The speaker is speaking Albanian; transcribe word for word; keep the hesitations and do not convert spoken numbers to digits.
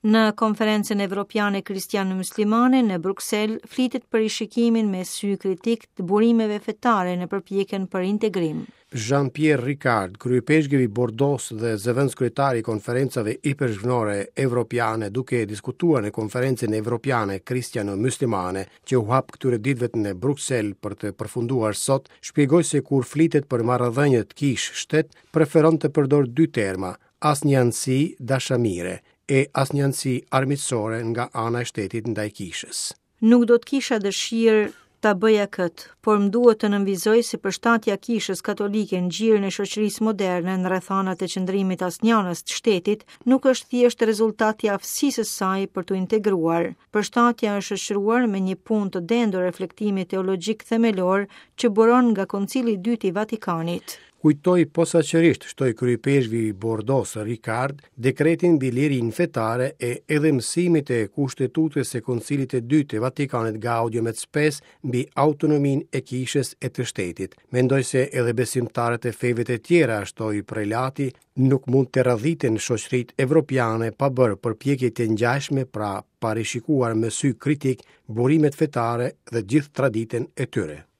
Në Konferencën Evropiane Kristiano-Muslimane në Bruksel flitet për rishikimin me sy kritik të burimeve fetare në përpjekjen për integrim. Jean-Pierre Ricard, kryeipeshkvi i Bordeaux dhe zëvendëskryetari i Konferencave Ipeshkvnore Evropiane, duke diskutuar në Konferencën Evropiane Kristiano-Muslimane që u hap këtyre ditëve në Bruksel për të përfunduar sot, shpjegoi se kur flitet për marrëdhëniet kishë-shtet, preferon të përdor dy terma: asnjanësi dashamire e asnjanësi armiqësore nga ana e shtetit ndaj kishës. Nuk do të kisha dëshirë ta bëja këtë, por më duhet të nënvizoj se përshtatja e Kishës Katolike në gjirin e shoqërisë moderne në rrethanat e qëndrimit asnjanës të shtetit nuk është thjesht rezultat i aftësisë së saj për t'u integruar. Përshtatja është shoqëruar me një punë të dendur reflektimi teologjik themelor që buron nga Koncili i Dytë i Vatikanit. Kujtoi posaçërisht, shtoi kryeipeshkvi i Bordeaux Ricard, dekretin mbi lirinë fetare e edhe mësimit e kushtetutës së Koncilit të Dytë të Vatikanit Gaudium et Spes mbi autonominë e kishës e të shtetit. Mendoj se edhe besimtarët e feve të tjera, shtoi prelati, nuk mund të radhiten shoqëritë evropiane pa bërë përpjekje të ngjashme, pra pa rishikuar me sy kritik burimet fetare dhe gjithë traditën e tyre.